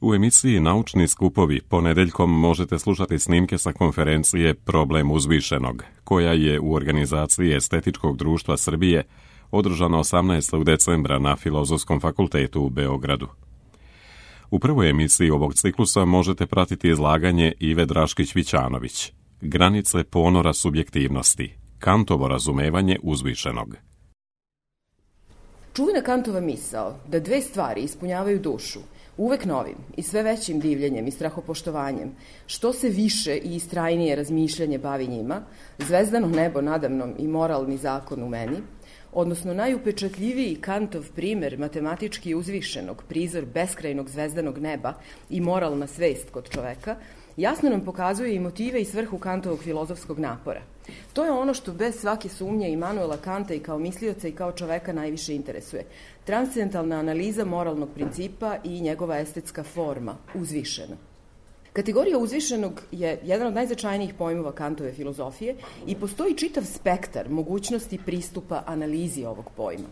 U emisiji Naučni skupovi ponedeljkom možete slušati snimke sa konferencije Problem uzvišenog, koja je u organizaciji Estetičkog društva Srbije održana 18. decembra na Filozofskom fakultetu u Beogradu. U prvoj emisiji ovog ciklusa možete pratiti izlaganje Ive Draškić-Vićanović, Granice ponora subjektivnosti, Kantovo razumevanje uzvišenog. Čuvena Kantova misao da dve stvari ispunjavaju dušu, uvek novim i sve većim divljenjem i strahopoštovanjem, što se više i istrajnije razmišljanje bavi njima, zvezdano nebo nadamnom i moralni zakon u meni, odnosno najupečatljiviji Kantov primer matematički uzvišenog, prizor beskrajnog zvezdanog neba i moralna svest kod čoveka, jasno nam pokazuje i motive i svrhu Kantovog filozofskog napora. To je ono što bez svake sumnje Imanuela Kanta i kao mislioca i kao čoveka najviše interesuje. Transcendentalna analiza moralnog principa i njegova estetska forma, uzvišena. Kategorija uzvišenog je jedan od najznačajnijih pojmova Kantove filozofije i postoji čitav spektar mogućnosti pristupa analizi ovog pojma.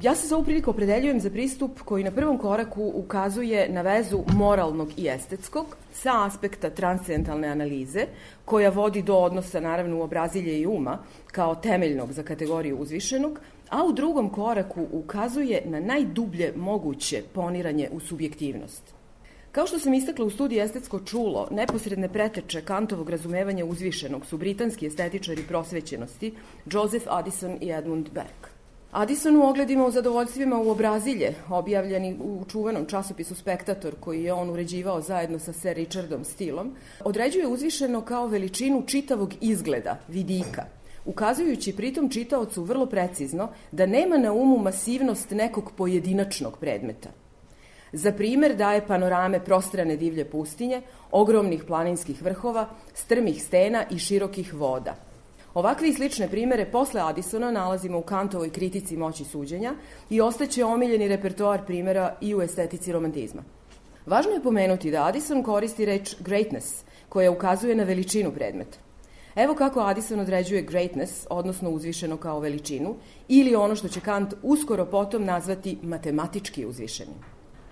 Ja se za ovu priliku opredeljujem za pristup koji na prvom koraku ukazuje na vezu moralnog i estetskog sa aspekta transcendentalne analize, koja vodi do odnosa naravno uobrazilje i uma kao temeljnog za kategoriju uzvišenog, a u drugom koraku ukazuje na najdublje moguće poniranje u subjektivnost. Kao što sam istakla u studiji Estetsko čulo, neposredne preteče Kantovog razumevanja uzvišenog su britanski estetičari prosvećenosti Joseph Addison i Edmund Burke. Addison u ogledima o zadovoljstvima uobrazilje, objavljeni u čuvenom časopisu Spektator, koji je on uređivao zajedno sa Sir Richardom Steelom, određuje uzvišeno kao veličinu čitavog izgleda, vidika, ukazujući pritom čitaocu vrlo precizno da nema na umu masivnost nekog pojedinačnog predmeta. Za primer daje panorame prostrane divlje pustinje, ogromnih planinskih vrhova, strmih stena i širokih voda. Ovakve i slične primere posle Addisona nalazimo u Kantovoj kritici moći suđenja i ostaće omiljeni repertoar primera i u estetici romantizma. Važno je pomenuti da Addison koristi reč greatness, koja ukazuje na veličinu predmeta. Evo kako Addison određuje greatness, odnosno uzvišeno kao veličinu, ili ono što će Kant uskoro potom nazvati matematički uzvišeni.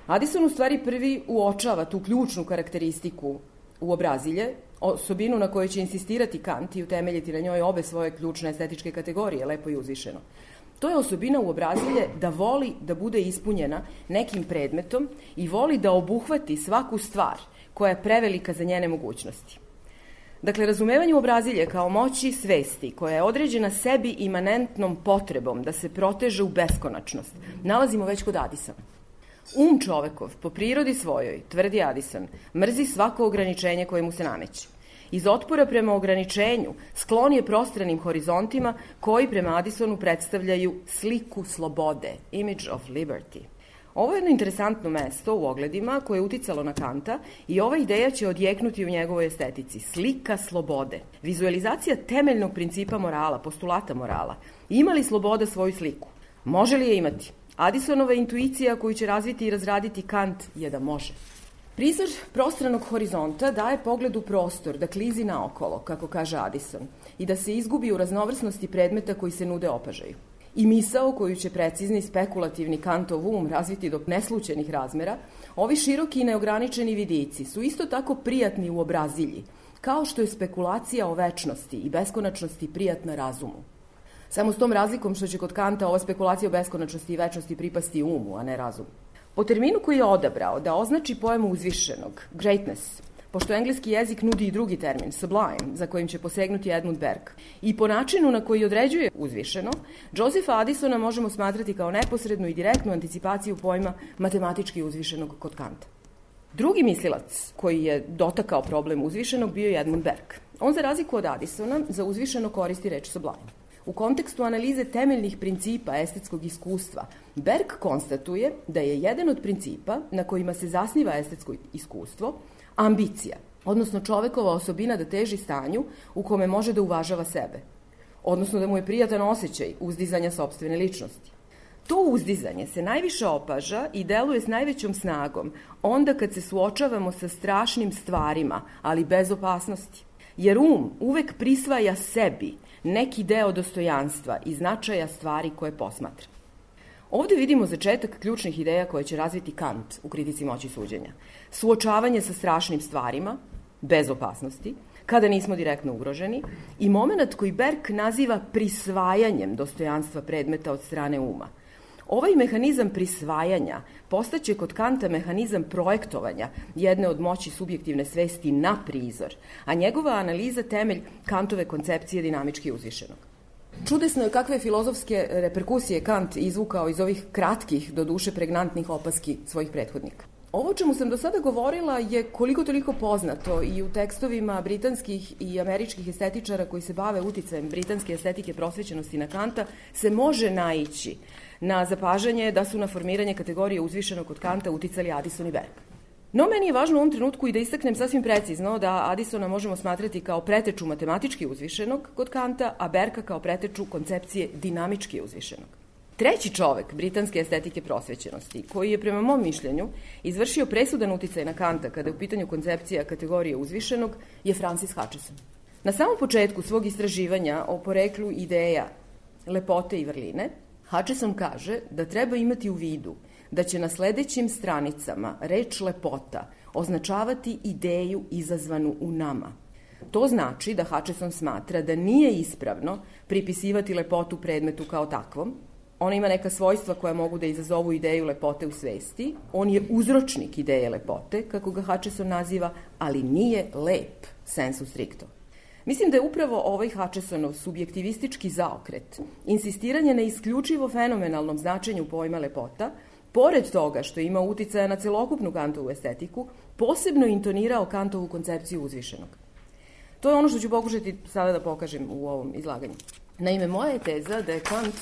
Addison u stvari prvi uočava tu ključnu karakteristiku uobrazilje, osobinu na kojoj će insistirati Kant i utemeljiti na njoj obe svoje ključne estetičke kategorije, lepo i uzvišeno. To je osobina uobrazilje da voli da bude ispunjena nekim predmetom i voli da obuhvati svaku stvar koja je prevelika za njene mogućnosti. Dakle, razumevanje uobrazilje kao moći svesti, koja je određena sebi imanentnom potrebom da se proteže u beskonačnost, nalazimo već kod Addisona. Čovekov, po prirodi svojoj, tvrdi Addison, mrzi svako ograničenje koje mu se nameće. Iz otpora prema ograničenju sklon je prostranim horizontima koji prema Addisonu predstavljaju sliku slobode, image of liberty. Ovo je jedno interesantno mesto u ogledima koje je uticalo na Kanta i ova ideja će odjeknuti u njegovoj estetici. Slika slobode, vizualizacija temeljnog principa morala, postulata morala. Ima li sloboda svoju sliku? Može li je imati? Addisonova intuicija koju će razviti i razraditi Kant je da može. Prizor prostranog horizonta daje pogled u prostor, da klizi naokolo, kako kaže Addison, i da se izgubi u raznovrsnosti predmeta koji se nude opažaju. I misao koju će precizni spekulativni Kantov um razviti do neslućenih razmera, ovi široki i neograničeni vidici su isto tako prijatni u obrazilji, kao što je spekulacija o večnosti i beskonačnosti prijatna razumu. Samo s tom razlikom što će kod Kanta ova spekulacija o beskonačnosti i večnosti pripasti umu, a ne razumu. Po terminu koji je odabrao da označi pojmu uzvišenog, greatness, pošto engleski jezik nudi i drugi termin, sublime, za kojim će posegnuti Edmund Burke, i po načinu na koji određuje uzvišeno, Josepha Addisona možemo smatrati kao neposrednu i direktnu anticipaciju pojma matematički uzvišenog kod Kanta. Drugi mislilac koji je dotakao problem uzvišenog bio je Edmund Burke. On, za razliku od Addisona, za uzvišeno koristi reč sublime. U kontekstu analize temeljnih principa estetskog iskustva, Burke konstatuje da je jedan od principa na kojima se zasniva estetsko iskustvo ambicija, odnosno čovekova osobina da teži stanju u kome može da uvažava sebe, odnosno da mu je prijatan osjećaj uzdizanja sopstvene ličnosti. To uzdizanje se najviše opaža i deluje s najvećom snagom onda kad se suočavamo sa strašnim stvarima, ali bez opasnosti. Jer uvek prisvaja sebi neki deo dostojanstva i značaja stvari koje posmatra. Ovde vidimo začetak ključnih ideja koje će razviti Kant u kritici moći suđenja. Suočavanje sa strašnim stvarima, bez opasnosti, kada nismo direktno ugroženi, i moment koji Berg naziva prisvajanjem dostojanstva predmeta od strane uma. Ovaj mehanizam prisvajanja postaće kod Kanta mehanizam projektovanja jedne od moći subjektivne svesti na prizor, a njegova analiza temelj Kantove koncepcije dinamički uzvišenog. Čudesno je kakve filozofske reperkusije Kant izvukao iz ovih kratkih, do duše pregnantnih opaski svojih prethodnika. Ovo o čemu sam do sada govorila je koliko toliko poznato i u tekstovima britanskih i američkih estetičara koji se bave uticajem britanske estetike prosvećenosti na Kanta se može naići na zapažanje da su na formiranje kategorije uzvišenog kod Kanta uticali Addison i Berg. No, meni je važno u ovom trenutku i da istaknem sasvim precizno da Addisona možemo smatrati kao preteču matematički uzvišenog kod Kanta, a Berga kao preteču koncepcije dinamički uzvišenog. Treći čovek britanske estetike prosvećenosti, koji je prema mom mišljenju izvršio presudan uticaj na Kanta kada je u pitanju koncepcija kategorije uzvišenog, je Francis Hutcheson. Na samom početku svog istraživanja o poreklu ideja lepote i vrline, Hutcheson kaže da treba imati u vidu da će na sledećim stranicama reč lepota označavati ideju izazvanu u nama. To znači da Hutcheson smatra da nije ispravno pripisivati lepotu predmetu kao takvom. Ona ima neka svojstva koja mogu da izazovu ideju lepote u svesti. On je uzročnik ideje lepote, kako ga Hutcheson naziva, ali nije lep, sensu stricto. Mislim da je upravo ovaj Hutchesonov subjektivistički zaokret, insistiranje na isključivo fenomenalnom značenju pojma lepota, pored toga što ima uticaja na celokupnu Kantovu estetiku, posebno intonirao Kantovu koncepciju uzvišenog. To je ono što ću pokušati sada da pokažem u ovom izlaganju. Naime, moja je teza da je Kant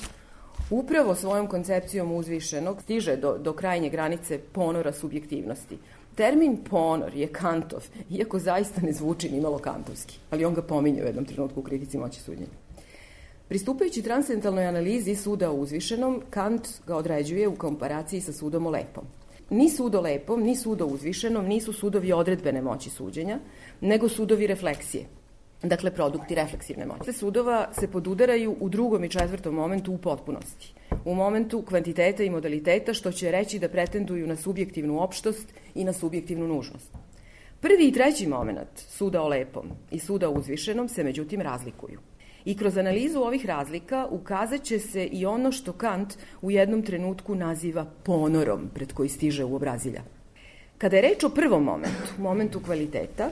upravo svojom koncepcijom uzvišenog stiže do krajnje granice ponora subjektivnosti. Termin ponor je Kantov, iako zaista ne zvuči ni malo kantovski, ali on ga pominje u jednom trenutku u kritici moći suđenja. Pristupajući transcendentalnoj analizi suda o uzvišenom, Kant ga određuje u komparaciji sa sudom o lepom. Ni sud o lepom, ni sud o uzvišenom nisu sudovi odredbene moći suđenja, nego sudovi refleksije, dakle produkti refleksivne moći. Sudova se podudaraju u drugom i četvrtom momentu u potpunosti. U momentu kvantiteta i modaliteta, što će reći da pretenduju na subjektivnu opštost i na subjektivnu nužnost. Prvi i treći moment suda o lepom i suda o uzvišenom se međutim razlikuju. I kroz analizu ovih razlika ukazat će se i ono što Kant u jednom trenutku naziva ponorom pred koji stiže u obrazilja. Kada je reč o prvom momentu kvaliteta,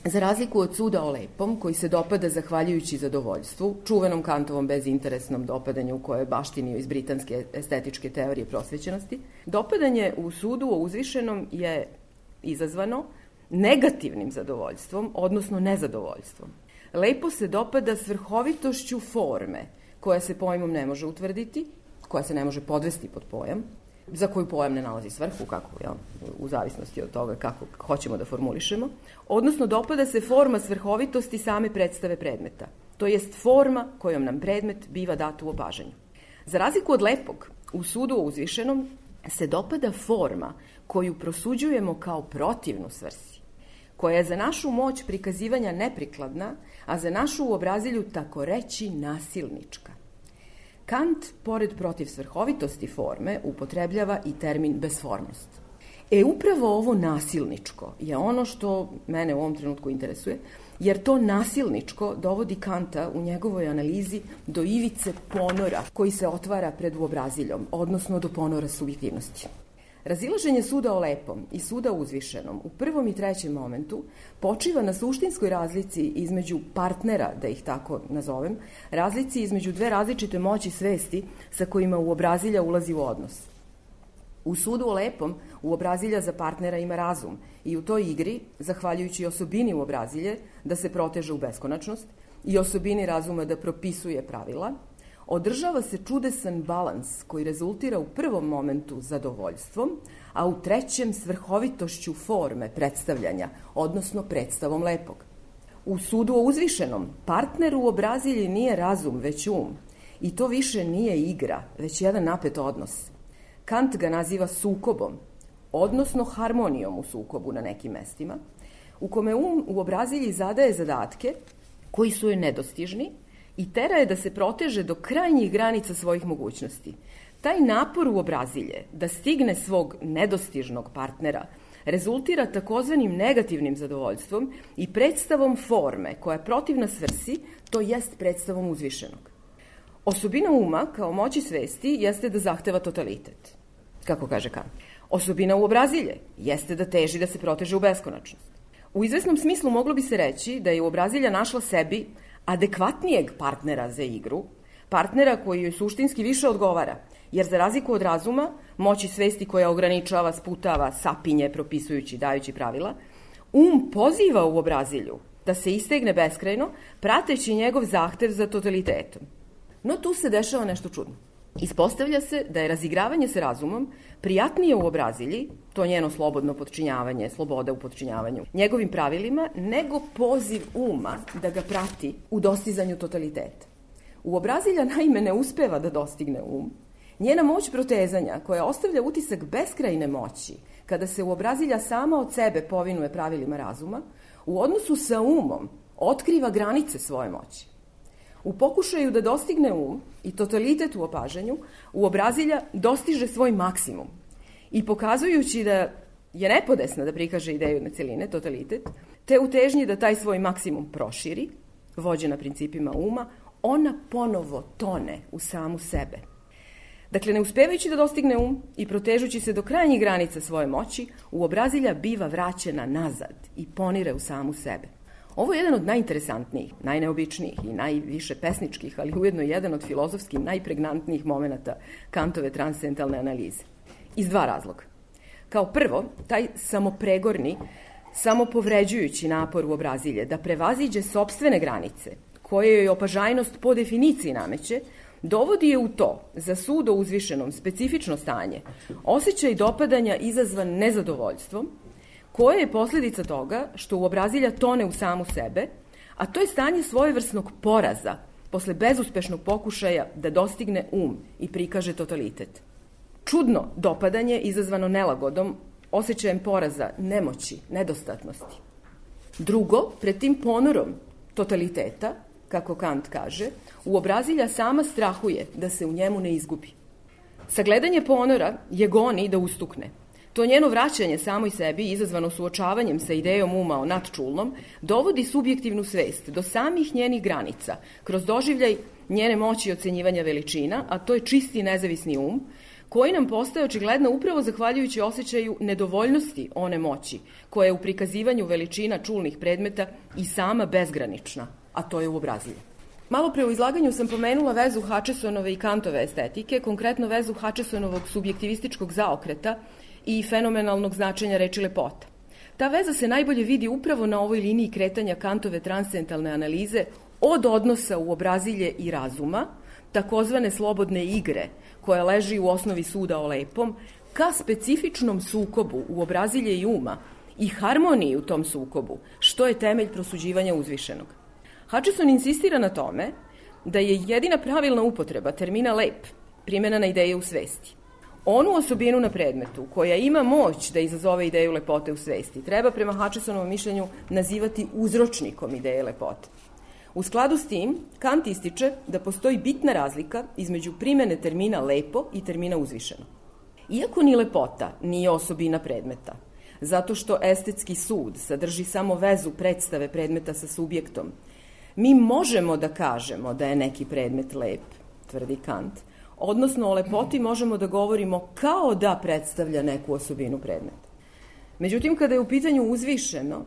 za razliku od suda o lepom, koji se dopada zahvaljujući zadovoljstvu, čuvenom Kantovom bezinteresnom dopadanju koje je baštinio iz britanske estetičke teorije prosvećenosti, dopadanje u sudu o uzvišenom je izazvano negativnim zadovoljstvom, odnosno nezadovoljstvom. Lepo se dopada svrhovitošću forme, koja se pojmom ne može utvrditi, koja se ne može podvesti pod pojam, za koju pojam ne nalazi svrhu, u zavisnosti od toga kako hoćemo da formulišemo, odnosno dopada se forma svrhovitosti same predstave predmeta, to jest forma kojom nam predmet biva dat u opažanju. Za razliku od lepog, u sudu o uzvišenom se dopada forma koju prosuđujemo kao protivnu svrsi, koja je za našu moć prikazivanja neprikladna, a za našu u obrazilju tako reći nasilnička. Kant, pored protiv svrhovitosti forme, upotrebljava i termin besformnost. Upravo ovo nasilničko je ono što mene u ovom trenutku interesuje, jer to nasilničko dovodi Kanta u njegovoj analizi do ivice ponora koji se otvara pred uobraziljom, odnosno do ponora subjektivnosti. Razilaženje suda o lepom i suda o uzvišenom u prvom i trećem momentu počiva na suštinskoj razlici između partnera, da ih tako nazovem, razlici između dve različite moći svesti sa kojima uobrazilja ulazi u odnos. U sudu o lepom uobrazilja za partnera ima razum i u toj igri, zahvaljujući osobini uobrazilje da se proteže u beskonačnost i osobini razuma da propisuje pravila, održava se čudesan balans koji rezultira u prvom momentu zadovoljstvom, a u trećem svrhovitošću forme predstavljanja, odnosno predstavom lepog. U sudu o uzvišenom partner u obrazilji nije razum, već i to više nije igra, već jedan napet odnos. Kant ga naziva sukobom, odnosno harmonijom u sukobu na nekim mestima, u kome u obrazilji zadaje zadatke koji su joj nedostižni i tera je da se proteže do krajnjih granica svojih mogućnosti. Taj napor uobrazilje da stigne svog nedostižnog partnera rezultira takozvanim negativnim zadovoljstvom i predstavom forme koja je protivna svrsi, to jest predstavom uzvišenog. Osobina uma kao moći svesti jeste da zahteva totalitet, kako kaže Kant. Osobina uobrazilje jeste da teži da se proteže u beskonačnost. U izvesnom smislu moglo bi se reći da je uobrazilja našla sebi adekvatnijeg partnera za igru, partnera koji joj suštinski više odgovara, jer za razliku od razuma, moći svesti koja ograničava, sputava, sapinje, propisujući, dajući pravila, poziva uobrazilju da se istegne beskrajno, prateći njegov zahtev za totalitetom. No tu se dešava nešto čudno. Ispostavlja se da je razigravanje sa razumom prijatnije uobrazilji, to njeno slobodno podčinjavanje, sloboda u podčinjavanju, njegovim pravilima, nego poziv uma da ga prati u dostizanju totaliteta. Uobrazilja naime ne uspeva da dostigne njena moć protezanja, koja ostavlja utisak beskrajne moći, kada se uobrazilja sama od sebe povinuje pravilima razuma, u odnosu sa umom otkriva granice svoje moći. U pokušaju da dostigne i totalitet u opažanju, uobrazilja dostiže svoj maksimum i pokazujući da je nepodesna da prikaže ideju na celine, totalitet, te u težnji da taj svoj maksimum proširi, vođena principima ona ponovo tone u samu sebe. Dakle, ne uspevajući da dostigne i protežući se do krajnjih granica svoje moći, uobrazilja biva vraćena nazad i ponire u samu sebe. Ovo je jedan od najinteresantnijih, najneobičnijih i najviše pesničkih, ali ujedno jedan od filozofski najpregnantnijih momenata Kantove transcendentalne analize. Iz dva razloga. Kao prvo, taj samopregorni, samopovređujući napor uobrazilje da prevaziđe sopstvene granice, koje joj opažajnost po definiciji nameće, dovodi je u to, za sud o uzvišenom specifično stanje, osjećaj dopadanja izazvan nezadovoljstvom, koje je posljedica toga što uobrazilja tone u samu sebe, a to je stanje svojevrsnog poraza posle bezuspešnog pokušaja da dostigne i prikaže totalitet. Čudno dopadanje izazvano nelagodom, osjećajem poraza, nemoći, nedostatnosti. Drugo, pred tim ponorom totaliteta, kako Kant kaže, uobrazilja sama strahuje da se u njemu ne izgubi. Sagledanje ponora je goni da ustukne. To njeno vraćanje samoj sebi, izazvano suočavanjem sa idejom o nadčulnom, dovodi subjektivnu svest do samih njenih granica, kroz doživljaj njene moći ocenjivanja veličina, a to je čisti nezavisni koji nam postaje očigledno upravo zahvaljujući osjećaju nedovoljnosti one moći, koja je u prikazivanju veličina čulnih predmeta i sama bezgranična, a to je uobrazilje. Malo pre u izlaganju sam pomenula vezu Hutchesonove i Kantove estetike, konkretno vezu Hutchesonovog subjektivističkog zaokreta i fenomenalnog značenja reči lepota. Ta veza se najbolje vidi upravo na ovoj liniji kretanja Kantove transcendentalne analize od odnosa uobrazilje i razuma, takozvane slobodne igre, koja leži u osnovi suda o lepom, ka specifičnom sukobu uobrazilje i i harmoniji u tom sukobu, što je temelj prosuđivanja uzvišenog. Hutcheson insistira na tome da je jedina pravilna upotreba termina lep primjena na ideje u svesti. Onu osobinu na predmetu koja ima moć da izazove ideju lepote u svesti treba prema Hutchesonovom mišljenju nazivati uzročnikom ideje lepote. U skladu s tim, Kant ističe da postoji bitna razlika između primjene termina lepo i termina uzvišeno. Iako ni lepota nije osobina predmeta, zato što estetski sud sadrži samo vezu predstave predmeta sa subjektom, mi možemo da kažemo da je neki predmet lep, tvrdi Kant, odnosno o lepoti možemo da govorimo kao da predstavlja neku osobinu predmeta. Međutim, kada je u pitanju uzvišeno,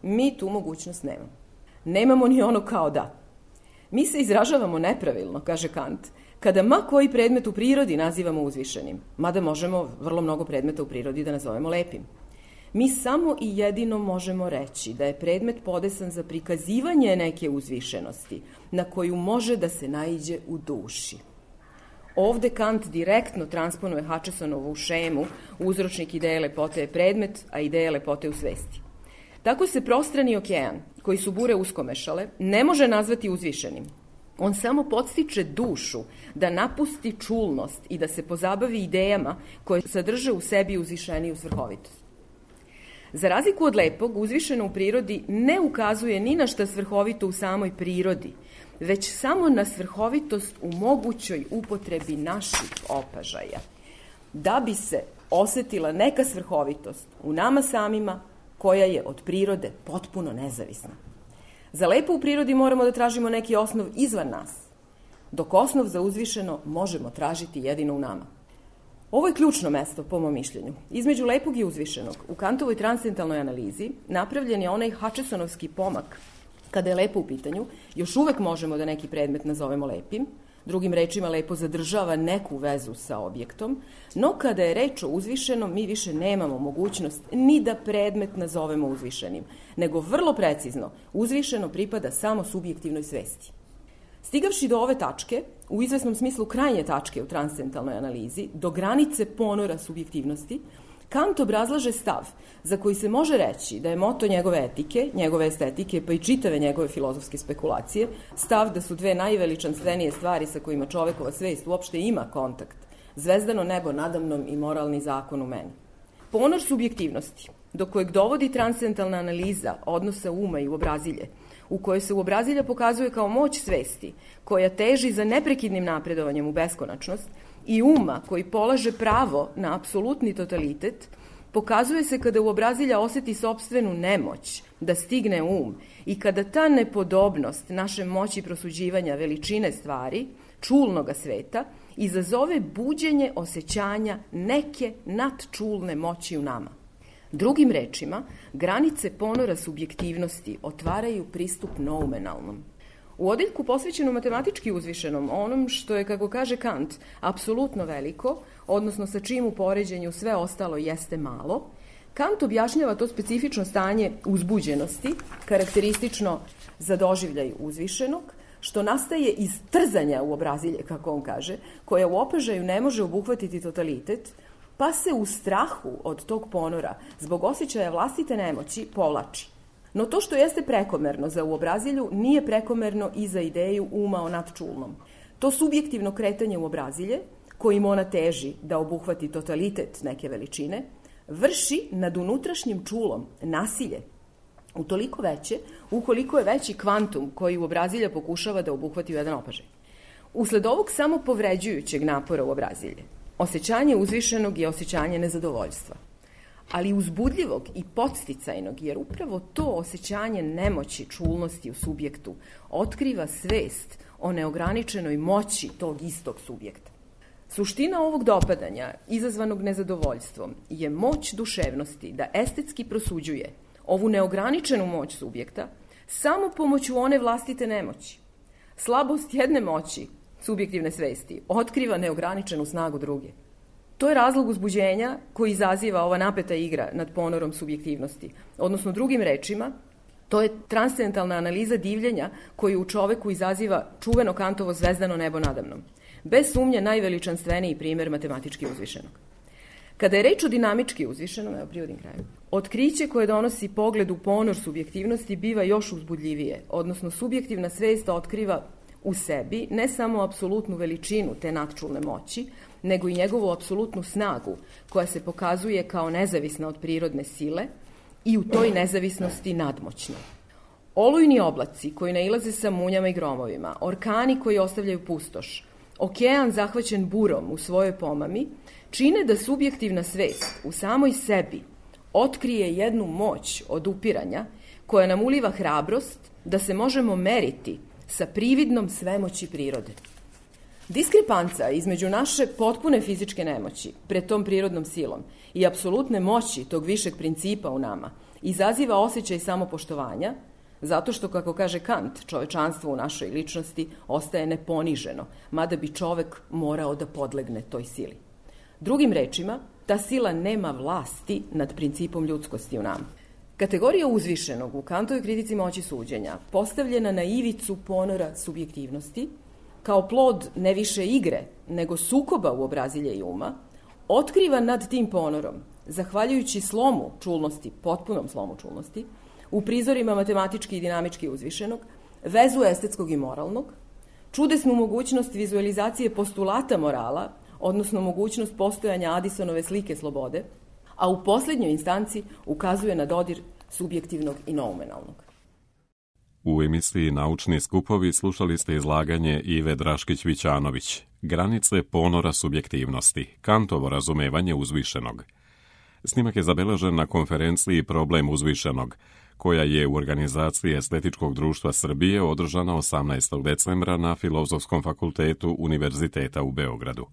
mi tu mogućnost nemamo. Nemamo ni ono kao da. Mi se izražavamo nepravilno, kaže Kant, kada ma koji predmet u prirodi nazivamo uzvišenim, mada možemo vrlo mnogo predmeta u prirodi da nazovemo lepim. Mi samo i jedino možemo reći da je predmet podesan za prikazivanje neke uzvišenosti, na koju može da se naiđe u duši. Ovde Kant direktno transponuje Hutchesonovu šemu, uzročnik ideje lepote je predmet, a ideja lepote u svesti. Tako se prostrani okean, koji su bure uskomešale, ne može nazvati uzvišenim. On samo podstiče dušu da napusti čulnost i da se pozabavi idejama koje sadrže u sebi uzvišeniju svrhovitost. Za razliku od lepog, uzvišeno u prirodi ne ukazuje ni na šta svrhovito u samoj prirodi, već samo na svrhovitost u mogućoj upotrebi naših opažaja. Da bi se osetila neka svrhovitost u nama samima, koja je od prirode potpuno nezavisna. Za lepo u prirodi moramo da tražimo neki osnov izvan nas, dok osnov za uzvišeno možemo tražiti jedino u nama. Ovo je ključno mesto, po mom mišljenju. Između lepog i uzvišenog, u Kantovoj transcendentalnoj analizi, napravljen je onaj Hutchesonovski pomak. Kada je lepo u pitanju, još uvek možemo da neki predmet nazovemo lepim, drugim rečima lepo zadržava neku vezu sa objektom, no kada je reč o uzvišenom, mi više nemamo mogućnost ni da predmet nazovemo uzvišenim, nego vrlo precizno, uzvišeno pripada samo subjektivnoj svesti. Stigavši do ove tačke, u izvesnom smislu krajnje tačke u transcendentalnoj analizi, do granice ponora subjektivnosti, Kant obrazlaže stav za koji se može reći da je moto njegove etike, njegove estetike, pa i čitave njegove filozofske spekulacije, stav da su dve najveličanstvenije stvari sa kojima čovekova svest uopšte ima kontakt, zvezdano nebo nadamnom i moralni zakon u meni. Ponor subjektivnosti, do kojeg dovodi transcendentalna analiza odnosa uma i uobrazilje, u kojoj se uobrazilja pokazuje kao moć svesti, koja teži za neprekidnim napredovanjem u beskonačnost, i uma koji polaže pravo na apsolutni totalitet, pokazuje se kada uobrazilja oseti sopstvenu nemoć da stigne um i kada ta nepodobnost naše moći prosuđivanja veličine stvari, čulnoga sveta, izazove buđenje osjećanja neke nadčulne moći u nama. Drugim rečima, granice ponora subjektivnosti otvaraju pristup noumenalnom. U odeljku posvećenom matematički uzvišenom, onom što je, kako kaže Kant, apsolutno veliko, odnosno sa čim u poređenju sve ostalo jeste malo, Kant objašnjava to specifično stanje uzbuđenosti, karakteristično za doživljaj uzvišenog, što nastaje iz trzanja uobrazilje, kako on kaže, koja u opažaju ne može obuhvatiti totalitet, pa se u strahu od tog ponora, zbog osjećaja vlastite nemoći, povlači. No to što jeste prekomerno za uobrazilju nije prekomerno i za ideju uma o nadčulnom. To subjektivno kretanje uobrazilje, kojim ona teži da obuhvati totalitet neke veličine, vrši nad unutrašnjim čulom nasilje, utoliko veće, ukoliko je veći kvantum koji uobrazilja pokušava da obuhvati u jedan opažaj. Usled ovog samo povređujućeg napora uobrazilje, osjećanje uzvišenog je osjećanje nezadovoljstva, ali uzbudljivog i podsticajnog, jer upravo to osjećanje nemoći, čulnosti u subjektu otkriva svest o neograničenoj moći tog istog subjekta. Suština ovog dopadanja, izazvanog nezadovoljstvom, je moć duševnosti da estetski prosuđuje ovu neograničenu moć subjekta samo pomoću one vlastite nemoći. Slabost jedne moći, subjektivne svesti, otkriva neograničenu snagu druge. To je razlog uzbuđenja koji izaziva ova napeta igra nad ponorom subjektivnosti. Odnosno, drugim rečima, to je transcendentalna analiza divljenja koju u čoveku izaziva čuveno Kantovo zvezdano nebo nadamnom. Bez sumnje najveličanstveniji primer matematički uzvišenog. Kada je reč o dinamički uzvišenom, evo privodim kraju, otkriće koje donosi pogled u ponor subjektivnosti biva još uzbudljivije, odnosno subjektivna svest otkriva u sebi ne samo apsolutnu veličinu te nadčulne moći, nego i njegovu apsolutnu snagu, koja se pokazuje kao nezavisna od prirodne sile i u toj nezavisnosti nadmoćna. Olujni oblaci koji nailaze sa munjama i gromovima, orkani koji ostavljaju pustoš, okean zahvaćen burom u svojoj pomami, čine da subjektivna svest u samoj sebi otkrije jednu moć odupiranja koja nam uliva hrabrost da se možemo meriti sa prividnom svemoći prirode. Diskrepanca između naše potpune fizičke nemoći pred tom prirodnom silom i apsolutne moći tog višeg principa u nama izaziva osjećaj samopoštovanja, zato što, kako kaže Kant, čovečanstvo u našoj ličnosti ostaje neponiženo, mada bi čovek morao da podlegne toj sili. Drugim rečima, ta sila nema vlasti nad principom ljudskosti u nama. Kategorija uzvišenog u Kantovoj kritici moći suđenja, postavljena na ivicu ponora subjektivnosti, kao plod ne više igre, nego sukoba uobrazilja i uma, otkriva nad tim ponorom, zahvaljujući slomu čulnosti, potpunom slomu čulnosti, u prizorima matematički i dinamički uzvišenog, vezu estetskog i moralnog, čudesnu mogućnost vizualizacije postulata morala, odnosno mogućnost postojanja Addisonove slike slobode, a u posljednjoj instanci ukazuje na dodir subjektivnog i noumenalnog. U emisiji Naučni skupovi slušali ste izlaganje Ive Draškić-Vićanović, Granice ponora subjektivnosti, Kantovo razumevanje uzvišenog. Snimak je zabeležen na konferenciji Problem uzvišenog, koja je u organizaciji Estetičkog društva Srbije održana 18. decembra na Filozofskom fakultetu Univerziteta u Beogradu.